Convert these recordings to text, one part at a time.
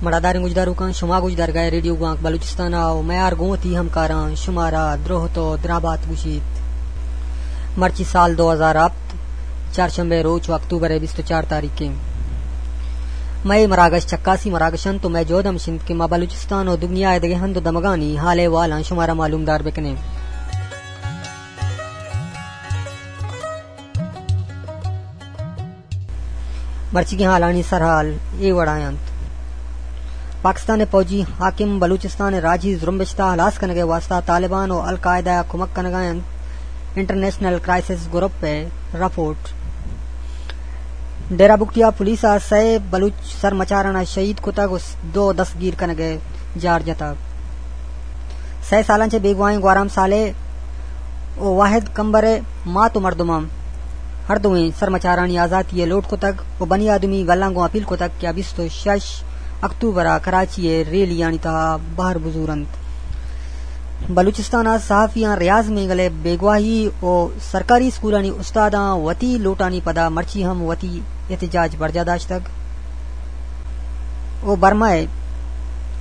مڑاداریں گوشداروکاں، شما گوشدارگائے ریڈیو گوانک بلوچستان ءَ ءُ میار گوں وتی ہمکاراں شمارا دروہت ءُ درابات گوشیت۔ مرچی سال دو ہزار ہپت، چارشنبے روچ ءُ اکتوبر ءِ بیست ءُ چار تاریخ ایں۔ مئے مراگش چکاسی مراگش انت ءُ مئے جہد ہمش انت کہ ما بلوچستان ءُ دگنیا ءِ دگہ ہند ءُ دمگانی حال احوالاں شمارا معلومدار بکنیں۔ مرچیگیں حالانی سرحال اے وڑا انت۔ پاکستان ءِ فوجی حاکم بلوچستان ءِ راجی زرمبشت ءَ ہلاس کنگ ءِ واستہ طالبان ءُ القاعدہ ءَ کمک کنگ ءَ انت، انٹرنیشنل کرائسس گروپ ءِ رپورٹ۔ ڈیرہ بگٹی ءَ پولیس ءَ سئے بلوچ سرمچاراں شہید کتگ ءُ دو دستگیر کنگ ءِ جار جتگ۔ سئے سالاں چہ بیگواہیں گوہرام صالح ءُ واحد کمبر ءِ مات ءُ مردماں ہر دوئیں سرمچارانی آزاتی ءِ لوٹ کتگ ءُ بنی آدمی گلاں گوں اپیل کتگ کہ آ بیست ءُ شش اکتوبر ءَ کراچی ءِ ریلیانی تہا بہر بزور انت۔ بلوچستان ءَ صحافیاں ریاض مینگل ءِ بیگواہی ءُ سرکاری اسکولانی استاداں وتی لوٹانی پدا مرچی ہم وتی احتجاج برجاہ داشتگ ءُ برما ءِ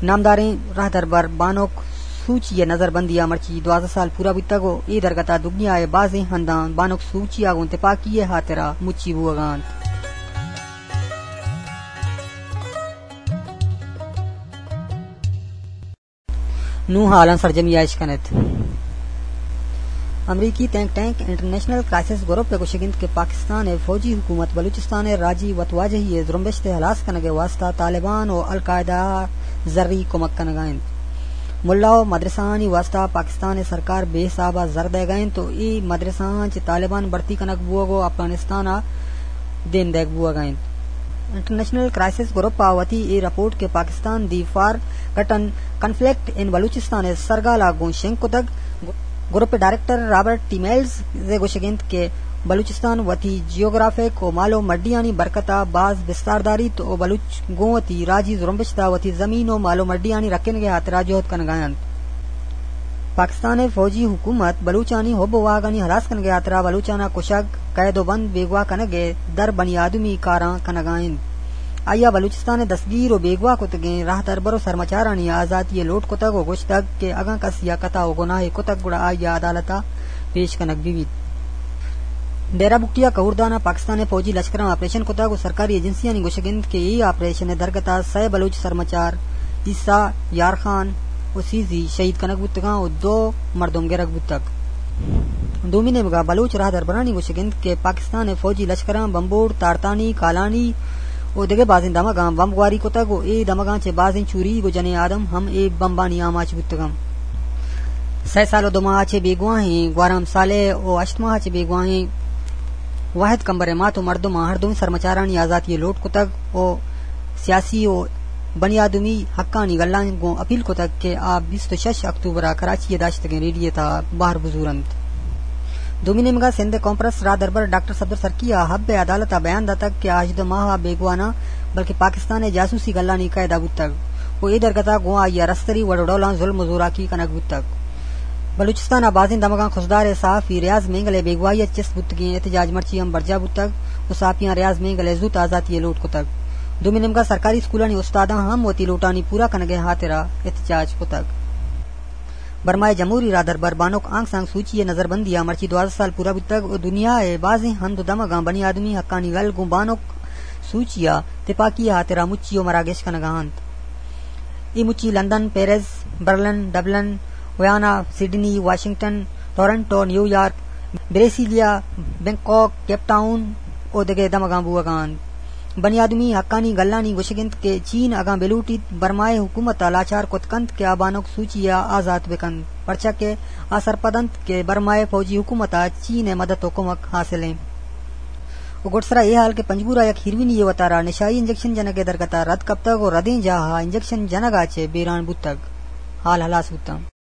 نامداریں راہدربر بانک سوچی ءِ نظربندی ءَ مرچی دوازدہ سال پورا بوتگ ءُ اے درگت ءَ دگنیا ءِ بازیں ہنداں بانک سوچی ءَ گوں تپاکی ءِ ہاترا مچی بوگ ءَ انت۔ نوں حالاں سرجمی ءَ اش کن ات۔ امریکی تھنک ٹینک انٹرنیشنل کرائسس گروپ ءِ گوشگ انت کہ پاکستان ءِ فوجی حکومت بلوچستان ءِ راجی وتواجہی ءِ زرمبشت ءِ ہلاس کنگ ءِ واستہ طالبان ءُ القاعدہ ءَ زری کمک کنگ ءَ انت۔ ملا ءُ مدرسہانی واستہ پاکستان ءِ سرکار بے حساب ءَ زر دئیگ ءَ انت ءُ اے مدرسہاں چہ طالبان بھرتی کنگ بوگ ءُ افغانستان ءَ دیم دئیگ بوگ ءَ انت۔ انٹرنیشنل کرائسس گروپ ءَ وتی اے رپورٹ کہ پاکستان دی فار گٹن کنفلکٹ ان بلوچستان ءِ سرگال ءَ گوں شنگ کتگ۔ گروپ ءِ ڈائریکٹر رابرٹ ٹی میلز ءِ گوشگ انت کہ بلوچستان وتی جیوگرافک ءُ مال ءُ مڈیانی برکت ءَ باز بستار داریت ءُ بلوچ گوں وتی راجی زرمبشت ءَ وتی زمین ءُ مال ءُ مڈیانی رکینگ ءِ ہاترا جہد کنگ ءَ انت۔ پاکستان ءِ فوجی حکومت بلوچانی حب ءُ واہگانی ہلاس کنگ ءِ ہاترا بلوچاں کشگ، قید ءُ بند، بیگواہ کنگ ءِ در بنی آدمی کاراں کنگ ءَ انت۔ آئی ءَ بلوچستان ءِ دستگیر ءُ بیگواہ کتگیں راہدربر ءُ سرمچارانی آزاتی ءِ لوٹ کتگ ءُ گوشتگ کہ اگاں کسی ءَ خطا ءُ گناہے کتگ گڑا آئی ءَ عدالت ءَ پیش کنگ بہ بیت۔ ڈیرہ بگٹی ءَ کہوردان ءَ پاکستان ءِ فوجی لشکراں آپریشن کتگ ءُ سرکاری ایجنسیانی گوشگ انت کہ اے آپریشن ءِ درگت ءَ سئے بلوچ سرمچار عیسیٰ، یار خان ءُ سیزی شہید کنگ بوتگاں ءُ دو مردم گرگ بوتگ۔ دومی نیمگ ءَ بلوچ راہدربرانی گوشگ انت کہ پاکستان ءِ فوجی لشکراں بمبوڑ، تارتانی، کالانی ءُ دگہ بازیں دمگاں بمب گواری کتگ ءُ اے دمگاں چہ بازیں چوریگ ءُ جنیں آدم ہم اے بمبانی آماچ بوتگ انت۔ سئے سال ءُ دو ماہ ءَ چہ بیگواہیں گوہرام صالح ءُ ہشت ماہ ءَ چہ بیگواہیں واحد کمبر ءِ مات ءُ مردماں ہر دوئیں سرمچارانی آزاتی ءِ لوٹ کتگ ءُ سیاسی ءُ بنی آدمی حقانی گلاں گوں اپیل کتگ کہ آ بیست ءُ شش اکتوبر ءَ کراچی ءَ داشتگیں ریلی ءِ تہا بہر بزور انت۔ دومی نیمگ ءَ سندھ ءِ کانفرنس راہدربر ڈاکٹر صفدر سرکی ءَ حب ءِ عدالت ءَ بیان داتگ کہ آ ہژدہ ماہ ءَ بیگواہ نہ بلکیں پاکستان ءِ جاسوسی گلانی قید ءَ بوتگ ءُ اے درگت ءَ گوں آئی ءَ رستری وڑ ءُ ڈولاں ظلم ءُ زوراکی کنگ بوتگ۔ بلوچستان ءَ بازیں دمگاں خضدار ءِ صحافی ریاض مینگل ءِ بیگواہی ءَ چست بوتگیں احتجاج مرچی ہم برجاہ بوتگ ءُ صحافیاں ریاض مینگل ءِ زوت آزاتی ءِ لوٹ کتگ۔ دومی نیمگ ءَ سرکاری اسکولانی استاداں ہم وتی لوٹانی پورا کنگ ءِ ہاترا احتجاج کتگ۔ برما ءِ جمہوری راہدربر بانک آنگ سانگ سوچی ءِ نظربندی ءَ مرچی دوازدہ سال پورا بوتگ ءُ دنیا ءِ بازیں ہند ءُ دمگاں بنی آدمی حقانی گل گوں بانک سوچی ءَ تپاکی ءِ ہاترا مچی ءُ مراگش کنگ ءَ انت۔ اے مچی لندن، پیرس، برلن، ڈبلن، ویانا، سڈنی، واشنگٹن، ٹورنٹو، نیویارک، بریسیلیا، بینکاک، کیپ ٹاؤن ءُ دگہ دمگاں بوگ ءَ انت۔ بنی آدمی حقانی گلانی گوشگ انت کہ چین اگاں بلوٹیت برما ءِ حکومت ءَ لاچار کت کنت کہ آ بانک سوچی ءَ آزات بہ کنت، پرچا کہ آ سرپد انت کہ برما ءِ فوجی حکومت ءَ چین ءِ مدد ءُ کمک حاصل انت۔ ءُ گڈسرا اے حال کہ پنجگور ءَ یک ہیروئنی یے وتارا نشائی انجکشن جنگ ءِ درگت ءَ رد کپتگ ءُ ردیں جاہ ءَ انجکشن جنگ ءَ چہ بیران بوتگ۔ حال ہلاس بوتاں۔